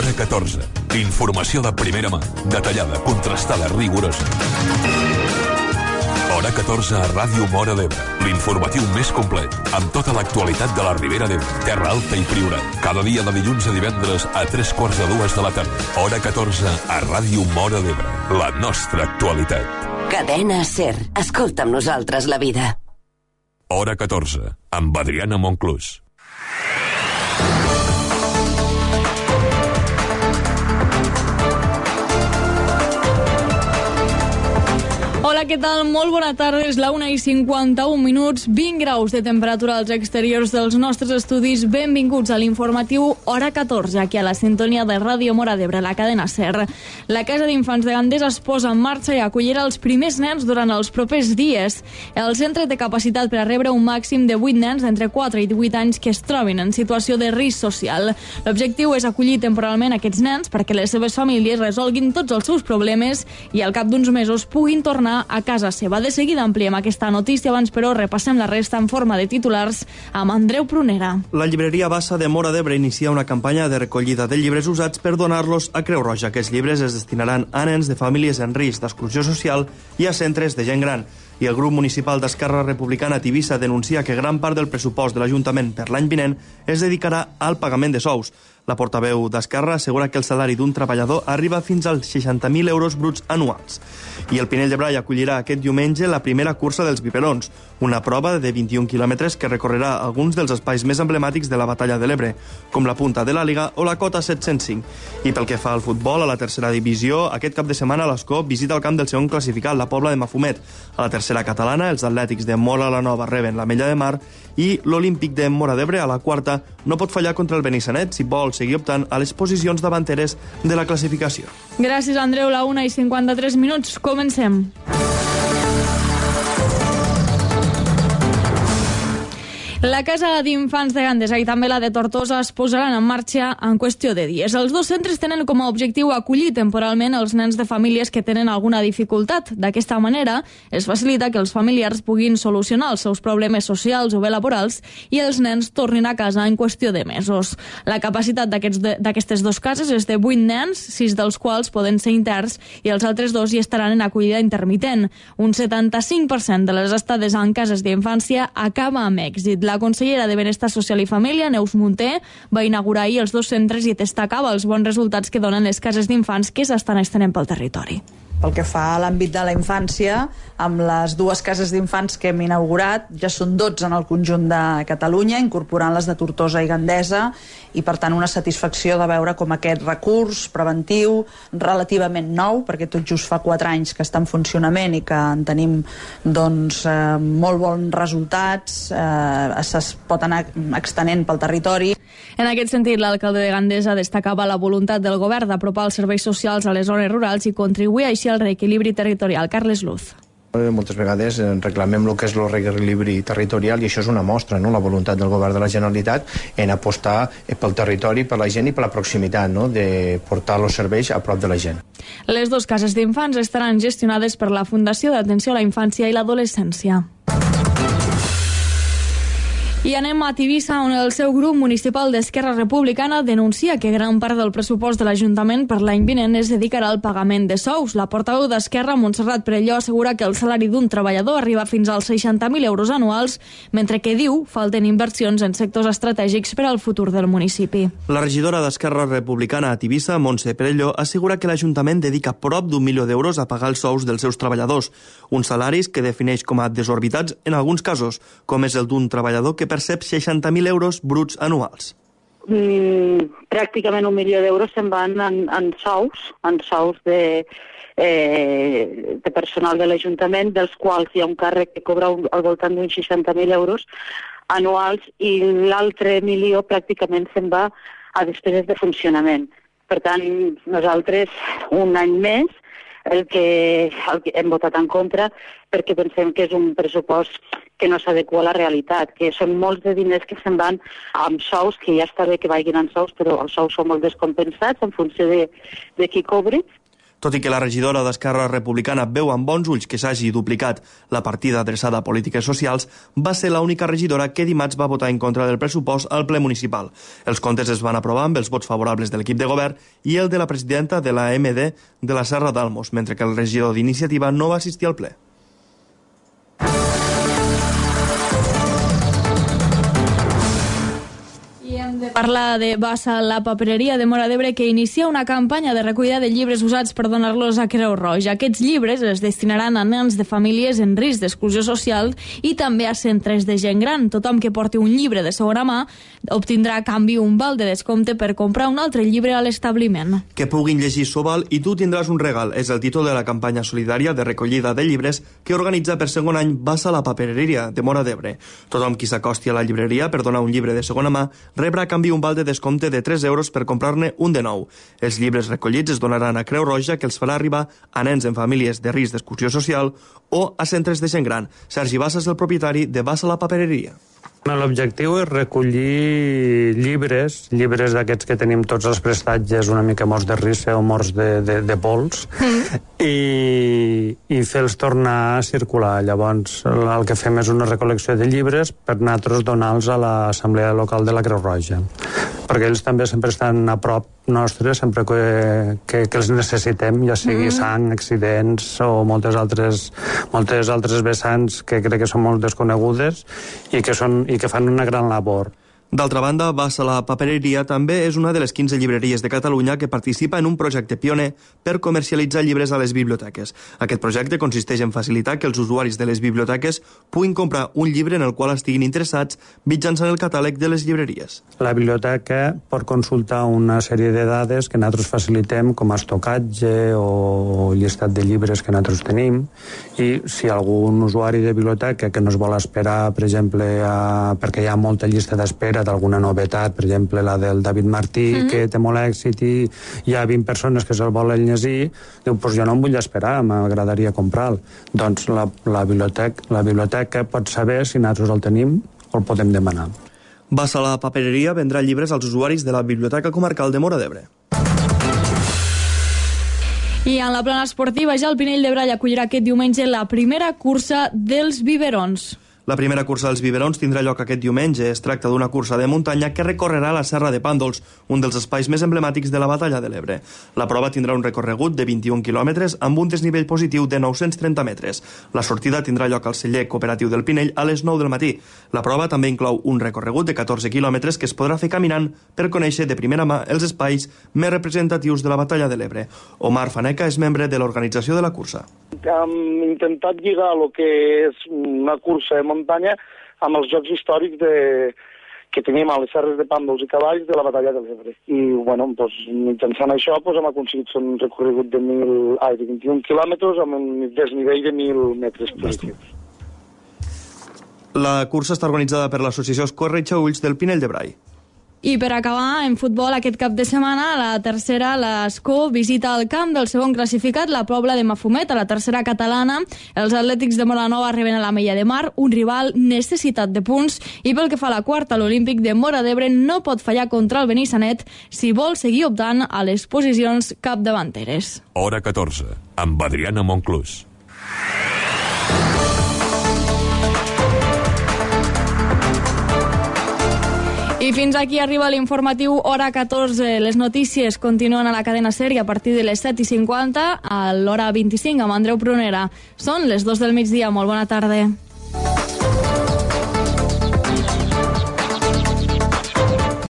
Hora 14. Informació de primera mà, detallada, contrastada, rigorosa. Hora 14 a Ràdio Móra d'Ebre. L'informatiu més complet, amb tota l'actualitat de la Ribera d'Ebre, Terra Alta i Priorat. Cada dia de dilluns a divendres a 3:45 de la tarda. Hora 14 a Ràdio Móra d'Ebre. La nostra actualitat. Cadena SER. Escolta amb nosaltres la vida. Hora 14, amb Adriana Monclús. Hola, què tal? Molt bona tarda. És la 1:51, 20 graus de temperatura als exteriors dels nostres estudis. Benvinguts a l'informatiu Hora 14, aquí a la sintonia de Ràdio Móra d'Ebre, la cadena SER. La Casa d'Infants de Gandesa es posa en marxa i acollirà els primers nens durant els propers dies. El centre té capacitat per a rebre un màxim de 8 nens d'entre 4 i 18 anys que es trobin en situació de risc social. L'objectiu és acollir temporalment aquests nens perquè les seves famílies resolguin tots els seus problemes i al cap d'uns mesos puguin tornar a casa seva. De seguida ampliem aquesta notícia, abans però repassem la resta en forma de titulars amb Andreu Prunera. La llibreria Bassa de Móra d'Ebre inicia una campanya de recollida de llibres usats per donar-los a Creu Roja. Aquests llibres es destinaran a nens de famílies en risc d'exclusió social i a centres de gent gran. I el grup municipal d'Esquerra Republicana Tivissa denuncia que gran part del pressupost de l'Ajuntament per l'any vinent es dedicarà al pagament de sous. La portaveu d'Esquerra assegura que el salari d'un treballador arriba fins als 60.000 euros bruts anuals. I el Pinell de Brai acollirà aquest diumenge la primera cursa dels biberons, una prova de 21 quilòmetres que recorrerà alguns dels espais més emblemàtics de la batalla de l'Ebre, com la Punta de l'Àliga o la Cota 705. I pel que fa al futbol, a la tercera divisió, aquest cap de setmana l'Escó visita el camp del segon classificat, la Pobla de Mafumet. A la tercera catalana, els atlètics de Móra la Nova reben la Mella de Mar i l'Olímpic de Móra d'Ebre, a la quarta, no pot fallar contra el Benissanet si vol seguir optant a les posicions davanteres de la classificació. Gràcies, Andreu. La 1:53. Comencem. La Casa d'Infants de Gandesa i també la de Tortosa es posaran en marxa en qüestió de dies. Els dos centres tenen com a objectiu acollir temporalment els nens de famílies que tenen alguna dificultat. D'aquesta manera, es facilita que els familiars puguin solucionar els seus problemes socials o bé laborals i els nens tornin a casa en qüestió de mesos. La capacitat d'aquestes dues cases és de 8 nens, 6 dels quals poden ser interns i els altres 2 hi estaran en acollida intermitent. Un 75% de les estades en cases d'infància acaba amb èxit. La consellera de Benestar Social i Família, Neus Munté, va inaugurar ahir els dos centres i destacava els bons resultats que donen les cases d'infants que s'estan estenent pel territori. Pel que fa a l'àmbit de la infància, amb les dues cases d'infants que hem inaugurat, ja són 12 en el conjunt de Catalunya, incorporant les de Tortosa i Gandesa, i per tant una satisfacció de veure com aquest recurs preventiu, relativament nou, perquè tot just fa 4 anys que està en funcionament i que en tenim doncs, molt bons resultats, es pot anar extenent pel territori. En aquest sentit, l'alcalde de Gandesa destacava la voluntat del govern d'apropar els serveis socials a les zones rurals i contribuir així al reequilibri territorial. Carles Luz. Moltes vegades reclamem el que és el reequilibri territorial i això és una mostra, no? La voluntat del govern de la Generalitat en apostar pel territori, per la gent i per la proximitat, no? De portar els serveis a prop de la gent. Les dues cases d'infants estaran gestionades per la Fundació d'Atenció a la Infància i l'Adolescència. I anem a Tivissa, on el seu grup municipal d'Esquerra Republicana denuncia que gran part del pressupost de l'Ajuntament per l'any vinent es dedicarà al pagament de sous. La portaveu d'Esquerra, Montserrat Perelló, assegura que el salari d'un treballador arriba fins als 60.000 euros anuals, mentre que diu falten inversions en sectors estratègics per al futur del municipi. La regidora d'Esquerra Republicana a Tivissa, Montse Perelló, assegura que l'Ajuntament dedica prop d'1 milió d'euros a pagar els sous dels seus treballadors, uns salaris que defineix com a desorbitats en alguns casos, com és el d'un treballador que percep 60.000 euros bruts anuals. Pràcticament 1 milió d'euros se'n van en sous de personal de l'Ajuntament, dels quals hi ha un càrrec que cobra al voltant d'uns 60.000 euros anuals i l'altre milió pràcticament se'n va a despeses de funcionament. Per tant, nosaltres un any més el que hem votat en contra perquè pensem que és un pressupost que no s'adequa a la realitat, que són molts de diners que se'n van amb sous, que ja està bé que vagin en sous, però els sous són molt descompensats en funció de qui cobri. Tot i que la regidora d'Esquerra Republicana veu amb bons ulls que s'hagi duplicat la partida adreçada a polítiques socials, va ser l'única regidora que dimarts va votar en contra del pressupost al ple municipal. Els comptes es van aprovar amb els vots favorables de l'equip de govern i el de la presidenta de la MD de la Serra d'Almos, mentre que el regidor d'Iniciativa no va assistir al ple. Parla de Bassa, la papereria de Móra d'Ebre, que inicia una campanya de recollida de llibres usats per donar-los a Creu Roja. Aquests llibres es destinaran a nens de famílies en risc d'exclusió social i també a centres de gent gran. Tothom que porti un llibre de segona mà obtindrà a canvi un val de descompte per comprar un altre llibre a l'establiment. Que puguin llegir so val i tu tindràs un regal. És el títol de la campanya solidària de recollida de llibres que organitza per segon any Bassa, la papereria de Móra d'Ebre. Tothom qui s'acosti a la llibreria per donar un llibre de segona mà rebrà a canvi un val de descompte de 3 euros per comprar-ne un de nou. Els llibres recollits es donaran a Creu Roja, que els farà arribar a nens en famílies de risc d'exclusió social o a centres de gent gran. Sergi Bassa és el propietari de Bassa, la papereria. L'objectiu és recollir llibres d'aquests que tenim tots els prestatges una mica morts de rissa o morts de pols i fer-los tornar a circular. Llavors el que fem és una recol·lecció de llibres per nosaltres donar-los a l'Assemblea Local de la Creu Roja, perquè ells també sempre estan a prop nostre sempre que els necessitem, ja sigui sang, accidents o moltes altres vessants que crec que són molt desconegudes i que fan una gran labor. D'altra banda, Bassa, la papereria també és una de les 15 llibreries de Catalunya que participa en un projecte pioner per comercialitzar llibres a les biblioteques. Aquest projecte consisteix en facilitar que els usuaris de les biblioteques puguin comprar un llibre en el qual estiguin interessats mitjançant el catàleg de les llibreries. La biblioteca pot consultar una sèrie de dades que nosaltres facilitem, com a estocatge o llistat de llibres que nosaltres tenim, i si algun usuari de biblioteca que no es vol esperar, per exemple, perquè hi ha molta llista d'espera d'alguna novetat, per exemple la del David Martí, que té molt èxit i hi ha 20 persones que se'l volen llegir, diu, doncs jo no em vull esperar, m'agradaria comprar-lo. Doncs la biblioteca pot saber si nosaltres el tenim o el podem demanar. Bassa, la papereria vendrà llibres als usuaris de la Biblioteca Comarcal de Móra d'Ebre. I en la plana esportiva, ja el Pinell de Brai acollirà aquest diumenge la primera cursa dels biberons. La primera cursa dels biberons tindrà lloc aquest diumenge. Es tracta d'una cursa de muntanya que recorrerà la Serra de Pàndols, un dels espais més emblemàtics de la Batalla de l'Ebre. La prova tindrà un recorregut de 21 quilòmetres amb un desnivell positiu de 930 metres. La sortida tindrà lloc al celler cooperatiu del Pinell a les 9 del matí. La prova també inclou un recorregut de 14 quilòmetres que es podrà fer caminant per conèixer de primera mà els espais més representatius de la Batalla de l'Ebre. Omar Faneca és membre de l'organització de la cursa. Hem intentat lligar el que és una cursa de muntanya amb els jocs històrics que tenim a les serres de Pàndols i Cavalls de la Batalla de l'Ebre. I mitjançant això hem aconseguit un recorregut de 21 quilòmetres amb un desnivell de 1.000 metres positius. La cursa està organitzada per l'associació Corretja Ulls del Pinell de Brai. I per acabar, en futbol, aquest cap de setmana, la tercera, l'Escó, visita el camp del segon classificat, la Pobla de Mafumet, a la tercera catalana. Els atlètics de Molanova arriben a l'Ametlla de Mar, un rival necessitat de punts, i pel que fa a la quarta, l'Olímpic de Móra d'Ebre no pot fallar contra el Benissanet si vol seguir optant a les posicions capdavanteres. Hora 14, amb Adriana Monclús. I fins aquí arriba l'informatiu Hora 14. Les notícies continuen a la cadena SER i a partir de les 7:50 a l'hora 25 amb Andreu Prunera. Són les 2 del migdia. Molt bona tarda.